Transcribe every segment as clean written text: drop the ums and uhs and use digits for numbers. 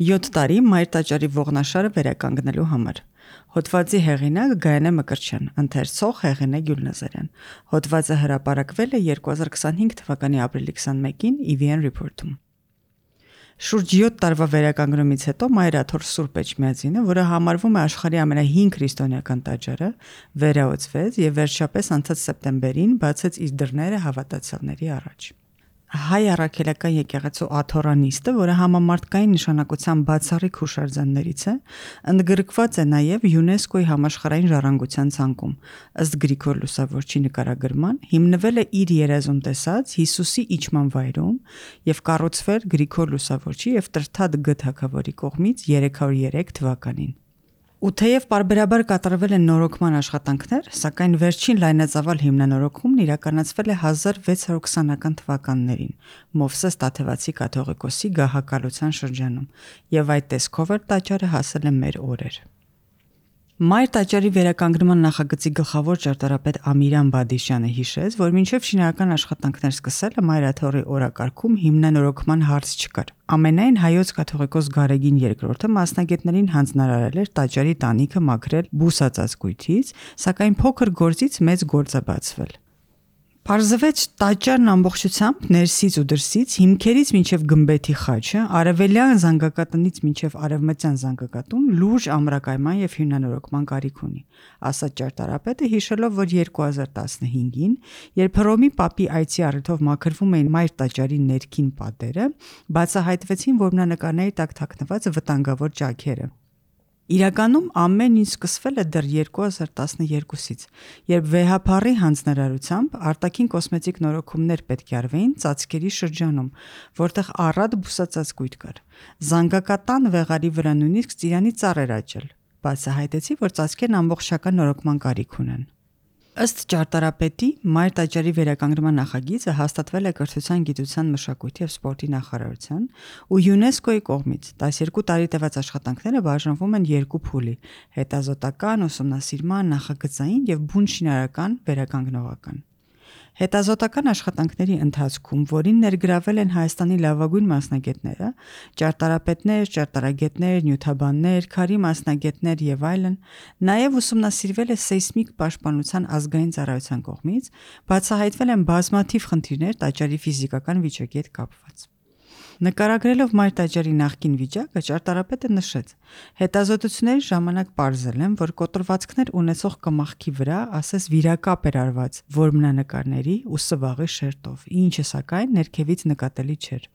7 տարի Մայր տաճարի ողնաշարը վերականգնելու համար։ Հոդվածի հեղինակ Գայանե Մկրտչյան, ընթերցող Հեղինե Գյուլնազարյան։ Հոդվածը հրապարակվել է 2025 թվականի ապրիլի 21-ին EVN Report-ում։ Շուրջ 7 տարվա վերականգնումից հետո Մայր Աթոռ Սուրբ Էջմիածինը, որը համարվում է աշխարհի ամենահին քրիստոնեական տաճարը, վերահսկվեց եւ վերջապես անցած սեպտեմբերին բացեց իր դռները հավատացյալների առաջ։ Հայ առաքելական եկեղեցու աթոռանիստը, որը համամարտկային նշանակության բացառիկ հուշարձաններից է, ընդգրկված է նաև ՅՈՒՆԵՍԿՕ-ի համաշխարհային ժառանգության ցանկում։ Ըստ Գրիգոր Լուսավորչի նկարագրման, հիմնվել է իր երազում տեսած Հիսուսի իջման վայրում եւ կառուցվել Գրիգոր Լուսավորչի եւ Տրթատ Գ թագավորի կողմից 303 թվականին։ Ու թեև պարբերաբար կատարվել են նորոգման աշխատանքներ, սակայն վերջին լայնածավալ հիմնանորոգումն իրականացվել է 1620-ական թվականներին Մովսես Տաթևացի կաթողիկոսի գահակալության շրջանում, եւ այդ տեսքով էլ տաճարը հասել է մեր օրեր։ Մայր տաճարի վերականգնման նախագծի գլխավոր ճարտարապետ Ամիրան Բադիշյանը հիշեց, որ մինչև շինարարական աշխատանքներ սկսելը Մայր Աթոռի օրակարգում հիմնանորոգման հարց չկար։ Ամենայն հայոց կաթողիկոս Գարեգին II մասնագետներին հանձնարարել էր տաճարի տանիքը մաքրել բուսածածկույթից, սակայն փոքր գործից մեծ գործ է բացվել։ Պարզվեց տաճարն ամբողջությամբ ներսից ու դրսից, հիմքերից մինչև գմբեթի խաչը, արևելյան զանգակատնից մինչև արևմտյան զանգակատուն լուրջ ամրակայման եւ հիմնանորոգման կարիք ունի, ասաց ճարտարապետը, հիշելով, որ 2015-ին, երբ Հռոմի Պապի այցի առիթով մաքրվում էին Մայր տաճարի ներքին պատերը, բացահայտվեցին որմնանկարների տակ թաքնված վտանգավոր ճաքերը։ Իրականում ամեն ինչ սկսվել է դեռ 2012-ից, երբ վեհափառի հանձնարարությամբ արտաքին կոսմետիկ նորոգումներ պետք է արվեին ծածկերի շրջանում, որտեղ առատ բուսածածկույթ կար։ Զանգակատան վեղարի վրա նույնիսկ ծիրանի ծառ էր աճել։ Բացահայտեցի, որ ծածկերն ամբողջական նորոգման կարիք ունեն։ Ըստ ճարտարապետի, Մայր տաճարի վերականգնման նախագիծը հաստատվել է Կրթության, գիտության, մշակույթի եւ սպորտի նախարարության ու ՅՈՒՆԵՍԿՕ-ի կողմից։ 12 տարի տևած աշխատանքները բաժանվում են երկու փուլի՝ հետազոտական, ուսումնասիրման, նախագծային եւ բուն շինարարական վերականգնողական։ Հետազոտական աշխատանքների ընթացքում, որին ներգրավել են Հայաստանի լավագույն մասնագետները, ճարտարապետներ, ճարտարագետներ, նյութաբաններ, քարի մասնագետներ եւ այլն, նաեւ ուսումնասիրվել է սեյսմիկ պաշտպանության ազգային ծառայության կողմից, բացահայտվել են բազմաթիվ խնդիրներ տաճարի ֆիզիկական վիճակի հետ կապված։ Նկարագրելով Մայր տաճարի նախկին վիճակը, ճարտարապետը նշեց. հետազոտությունների ժամանակ պարզել են, որ կոտրվածքներ ունեցող կմախքի վրա ասես վիրակապ էր արված որմնանկարների ու սվաղի շերտով, ինչը սակայն ներքևից նկատելի չէր։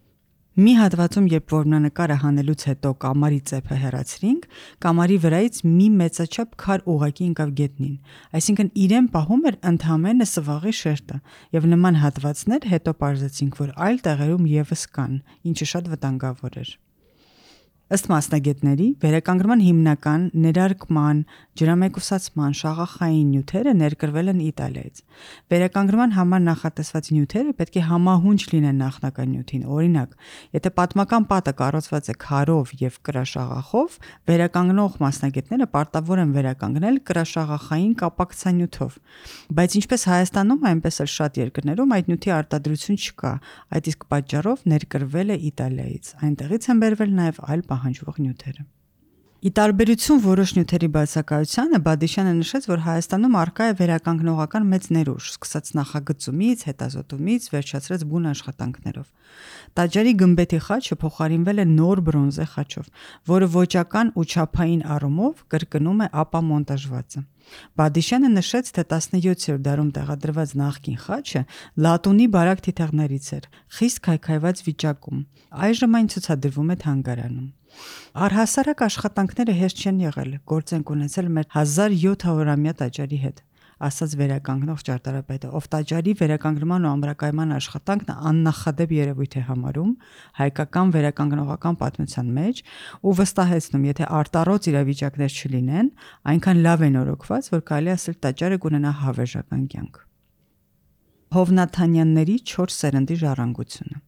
Մի հատվածում, երբ որմնանկարը հանելուց հետո կամարի ծեփը հեռացրինք, կամարի վրայից մի մեծաչափ քար ուղղակի ընկավ գետնին, այսինքն իրեն պահում էր ընդհանրապես սվաղի շերտը, եւ նման հատվածներ հետո պարզեցինք, որ այլ տեղերում եւս կան, ինչը շատ վտանգավոր էր։ Ըստ մասնագետների, վերականգնման հիմնական ներարկման, ջրամեկուսացման, շաղախային նյութերը ներկրվել են Իտալիայից։ Վերականգնման համար նախատեսված նյութերը պետք է համահունչ լինեն նախնական նյութին։ Օրինակ, եթե պատմական պատը կառուցված է քարով եւ կրաշաղախով, վերականգնող մասնագետները պարտավոր են վերականգնել կրաշաղախային կապակցանյութով։ Բայց ինչպես Հայաստանում, այնպես էլ շատ երկրներում այդ նյութի արտադրություն չկա, այդ իսկ պատճառով ներկրվել է Իտալիայից։ Այնտեղից են բերվել նաեւ այլ պահանջվող նյութերը։ Ի տարբերություն որոշ նյութերի բացակայությանը, Բադիշյանը նշեց, որ Հայաստանում առկա է վերականգնողական մեծ ներուժ, սկսած նախագծումից, հետազոտումից, վերջացրած բուն աշխատանքներով։ Տաճարի գմբեթի խաչը փոխարինվել է նոր բրոնզե խաչով, որը ոճական ու չափային առումով կրկնում է ապամոնտաժվածը։ Բադիշյանը նշեց, թե 17-րդ դարում տեղադրված նախկին խաչը լատունի բարակ թիթեղներից էր, խիստ քայքայված վիճակում։ Այժմ այն ցուցադրվում է թանգարանում։ Առհասարակ աշխատանքները հեշտ չեն եղել, գործ ենք ունեցել մեր 1700-ամյա տաճարի հետ, ասաց վերականգնող ճարտարապետը, ով տաճարի վերականգնման ու ամրակայման աշխատանքն աննախադեպ երևույթ է համարում հայկական վերականգնողական պատմության մեջ ու վստահեցնում, եթե արտառոց իրավիճակներ չլինեն, այնքան լավ է նորոգված, որ կարելի ասել տաճարը կունենա հավերժական կյանք։ Հովնաթանյանների 4 սերնդի ժառանգությունը։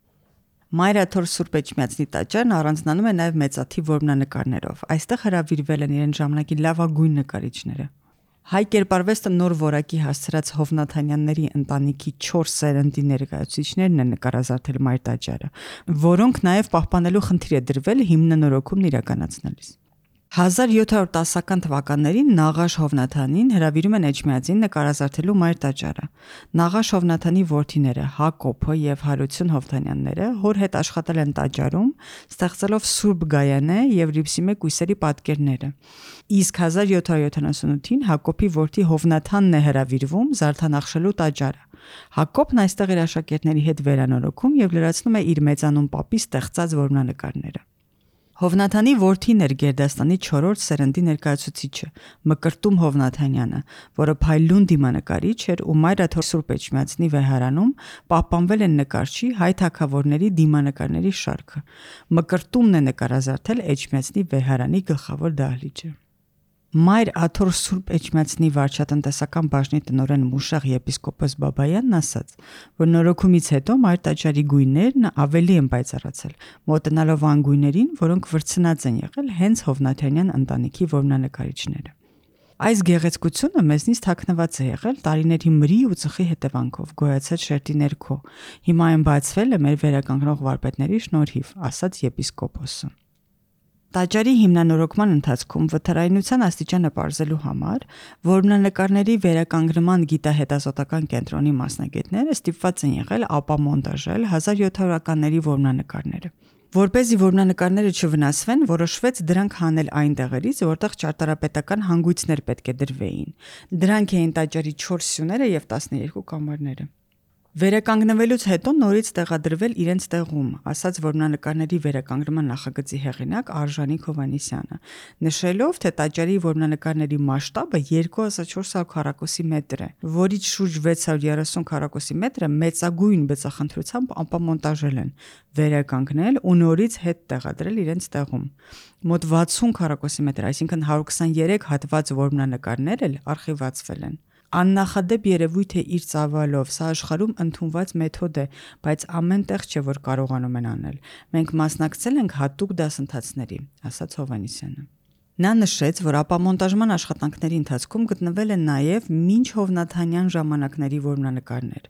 Մայր Աթոռ Սուրբ Էջմիածնի տաճարն առանձնանում է նաև մեծաթիվ որմնանկարներով։ Այստեղ հրավիրվել են իրեն ժամանակի լավագույն նկարիչները։ Հայ կերպարվեստը նոր որակի հասցրած Հովնաթանյանների ընտանիքի 4 սերնդի ներկայացուցիչներն են նկարազարդել Մայր տաճարը, որոնք նաև պահպանելու խնդիր է դրվել հիմնանորոգումն իրականացնելիս։ 1710-ական թվականներին Նաղաշ Հովնաթանին հրավիրում են Էջմիածին նկարազարդելու Մայր տաճարը։ Նաղաշ Հովնաթանի որդիները Հակոբը եւ Հարություն Հովնանյանները հոր հետ աշխատել են տաճարում, ստեղծելով Սուրբ Գայանե եւ Ռիփսիմե կույսերի պատկերները։ Իսկ 1778-ին Հակոբի որդի Հովնաթանն է հրավիրվում զարդանախշելու տաճարը։ Հակոբն այստեղ իր աշակերտների հետ վերանորոգում եւ լրացնում է իր մեծանուն պապի ստեղծած որմնանկարները։ Հովնաթանի որդին էր Գերդաստանի 4-րդ սերնդի ներկայացուցիչը Մկրտում Հովնաթանյանը, որը փայլուն դիմանկարիչ էր ու Մայր Սուրբ Էջմիածնի վեհարանում պահպանվել են նկարչի հայ թագավորների դիմանկարների շարքը։ Մկրտումն է նկարազարդել Էջմիածնի վեհարանի գլխավոր դահլիճը։ Մայր Աթոր Սուրբ Էջմիածնի վարչատնտեսական բաժնի տնօրեն Մուշեղ եպիսկոպոս Բաբայանն ասաց, որ նորոգումից հետո Մայր տաճարի գույներն ավելի են պայծառացել, մոտենալով այն գույներին, որոնք վրձնած են եղել հենց Հովնաթանյան ընտանիքի որմնանկարիչները։ Այս գեղեցկությունը մեզնից թաքնված է եղել տարիների մրի ու ծխի հետևանքով, գոյացած շերտի ներքո։ Հիմա այն բացվել է մեր վերականգնող վարպետների շնորհիվ, ասաց եպիսկոպոսը։ Տաճարի հիմնանորոգման ընթացքում վթարայնության աստիճանը պարզելու համար որմնանկարների վերականգնման գիտահետազոտական կենտրոնի մասնագետները ստիպված են եղել ապամոնտաժել 1700-ականների որմնանկարները։ Որպեսզի որմնանկարները չվնասվեն, որոշվեց դրանք հանել այն տեղերից, որտեղ ճարտարապետական հանգույցներ պետք է դրվեին։ Դրանք էին տաճարի 4 սյուները եւ 12 կամարները։ Վերականգնվելուց հետո նորից տեղադրվել իրենց տեղում, ասաց որմնանկարների վերականգնման նախագծի հեղինակ Արժանիկ Հովհաննիսյանը, նշելով, թե տաճարի որմնանկարների մասշտաբը 2400 քառակուսի մետր է, որից շուրջ 630 քառակուսի մետրը մեծագույն բծախնդրությամբ ապամոնտաժել են, վերականգնել ու նորից հետ տեղադրել իրենց տեղում։ Մոտ 60 քառակուսի մետր, այսինքն 123 հատված որմնանկարներ էլ արխիվացվել են։ Աննախադեպ երևույթ է իր ծավալով, սա աշխարհում ընդունված մեթոդ է, բայց ամեն տեղ չէ, որ կարողանում են անել։ Մենք մասնակցել ենք հատուկ դասընթացների, ասաց Հովհաննիսյանը։ Նա նշեց, որ ապամոնտաժման աշխատանքների ընթացքում գտնվել են նաև մինչ Հովնաթանյան ժամանակների որմնանկարներ։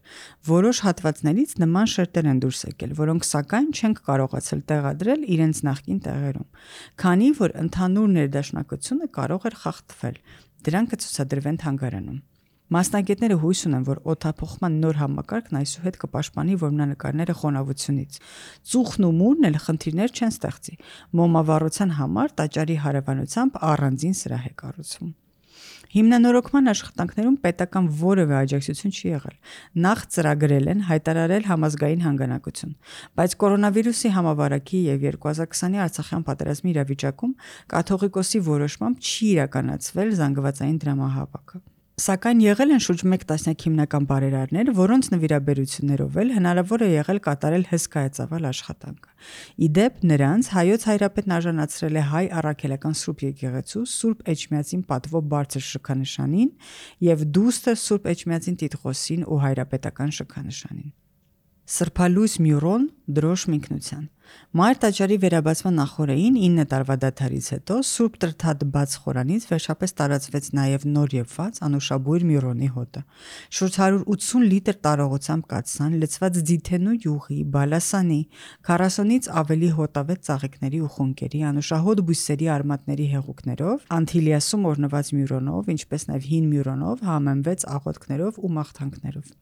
Որոշ հատվածներից նման շերտեր են դուրս եկել, որոնք սակայն չենք կարողացել տեղադրել իրենց նախկին տեղերում, քանի որ ընդհանուր ներդաշնակությունը կարող էր խախտվել։ Դրանք կցուցադրվեն թանգարանում։ Մասնագետները հույս ունեն, որ օդափոխման նոր համակարգն այսուհետ կպաշտպանի որմնանկարները խոնավությունից։ Ծուխն ու մուրն էլ խնդիրներ չեն ստեղծի։ Մոմավառության համար տաճարի հարևանությամբ առանձին սրահ է կառուցվում։ Հիմնանորոգման աշխատանքներում պետական որևէ աջակցություն չի եղել։ Նախ ծրագրել են հայտարարել համազգային հանգանակություն, բայց կորոնավիրուսի համավարակի եւ 2020-ի Արցախյան պատերազմի իրավիճակում կաթողիկոսի որոշմամբ չի իրականացվել զանգվածային դրամահավաքը։ Սակայն եղել են շուրջ 1 տասնյակ հիմնական բարերարներ, որոնց նվիրաբերություններով էլ հնարավոր է եղել կատարել հսկայածավալ աշխատանքը։ Իդեպ նրանց հայոց հայրապետն արժանացրել է հայ առաքելական Սուրբ եկեղեցու Սուրբ Էջմիածին պատվո բարձր շքանշանին եւ դուստր Սուրբ Էջմիածին տիտղոսին ու հայրապետական շքանշանին։ Սրբալույս Մյուրոն դրոշ մինքնության։ Մայր տաճարի վերաբացման նախօրեին 9 տարվա դադարից հետո Սուրբ Տրթատ բաց խորանից վերջապես տարածվեց նաև նոր եղված անուշաբույր Մյուրոնի հոտը։ Շուրջ 180 լիտր տարողությամբ կաթսան, լցված ձիթենու յուղի, բալասանի, 40-ից ավելի հոտավետ ծաղիկների ու խունկերի, անուշահոտ բույսերի արմատների հեղուկներով, Անթիլիասում օրնված Մյուրոնով, ինչպես նաև հին Մյուրոնով, համեմվեց աղոթքներով ու մաղթանքներով։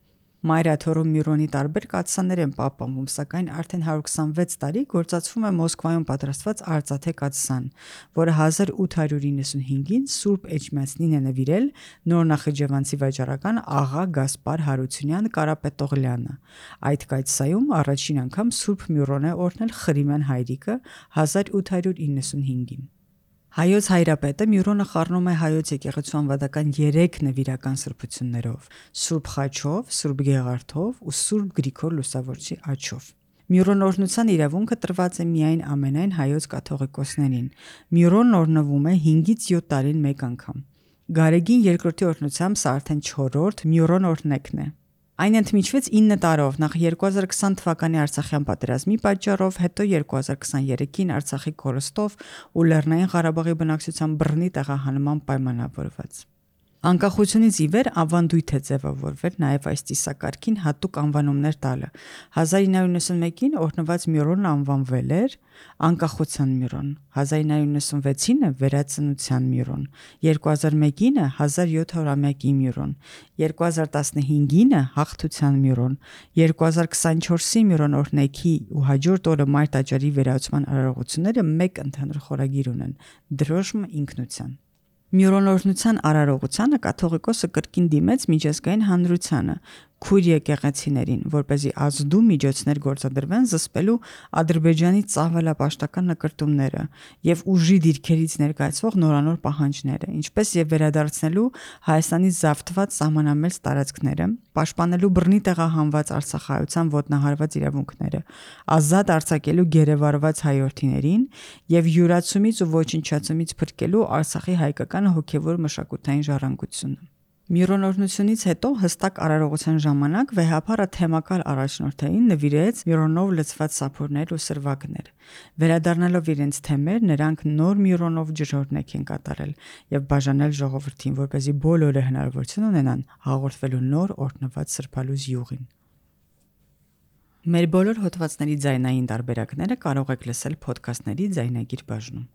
Մայր Աթոռում Մյուրոնի տարբեր կաթսաներ են պահպանվում, սակայն արդեն 126 տարի գործածվում է Մոսկվայում պատրաստված արծաթե կաթսան, որը 1895-ին Սուրբ Էջմիածնին է նվիրել նոր նախիջևանցի վաճառական աղա Գասպար Հարությունյան Կարապետողլյանը։ Այդ կաթսայում առաջին անգամ Սուրբ Մյուրոն է օրհնել Խրիմյան հայրիկը 1895-ին։ Հայոց հայրապետը Մյուրոնը խառնում է հայոց եկեղեցու անվադական 3 նվիրական սրբություններով՝ Սուրբ Խաչով, Սուրբ Գեղարդով ու Սուրբ Գրիգոր Լուսավորչի աջով։ Մյուրոն օրհնության իրավունքը տրված է միայն ամենայն հայոց կաթողիկոսներին։ Մյուրոնն օրհնվում է 5-ից 7 տարին մեկ անգամ։ Գարեգին երկրորդի օրհնությամբ սա արդեն 4-րդ Մյուրոն օրհնեքն է։ Այն ընդմիջվեց 9 տարով, նախ 2020 թվականի Արցախյան պատերազմի պատճառով, հետո 2023-ին Արցախի կորստով ու Լեռնային Ղարաբաղի բնակչության բռնի տեղահանման պայմանավորված։ Անկախությունից ի վեր ավանդույթ է ձևավորվել նաև այս ծիսակարգին հատուկ անվանումներ տալը։ 1991-ին օրհնված Միրոնը անվանվել էր Անկախության Միրոն, 1996-ը Վերածնության Միրոն, 2001-ը 1700-ամյակի Միրոն, 2015-ը Հաղթության Միրոն, 2024-ի Միրոն օրհնեքի ու հաջորդ օրը Մայր տաճարի վերահսկման արարողությունները մեկ ընդհանուր խորագիր ունեն՝ Դրոշմ ինքնության։ Միրոնօրհնության արարողությանը կաթողիկոսը կրկին դիմեց միջազգային հանրությանը, քույր եկեղեցիներին, որպեսզի ազդու միջոցներ գործադրվեն զսպելու Ադրբեջանի ծավալապաշտական նկրտումները եւ ուժի դիրքերից ներկայացվող նորանոր պահանջները, ինչպես եւ վերադարձնելու Հայաստանի զավթված սահմանամերձ տարածքները, պաշտպանելու բռնի տեղահանված արցախայցյան ոտնահարված իրավունքները, ազատ արձակելու գերեվարված հայրենիներին եւ յուրացումից ու ոչնչացումից փրկելու Արցախի հայկական հոգեվոր մշակութային ժառանգությունը։ Միրոնօրհնությունից հետո հստակ արարողության ժամանակ վեհափառը թեմակալ առաջնորդային նվիրեց Միրոնով լցված սափորներ ու սրվակներ։ Վերադառնալով իրենց թեմեր, նրանք նոր Միրոնով ջրօրհնեք են կատարել եւ բաժանել ժողովրդին, որպեսզի բոլորը հնարավորություն ունենան հաղորդվելու նոր օրհնված սրբալույս յուղին։ Մեր բոլոր հոդվածների ձայնային տարբերակները կարող եք լսել փոդքասթների ձայնագիր բաժնում։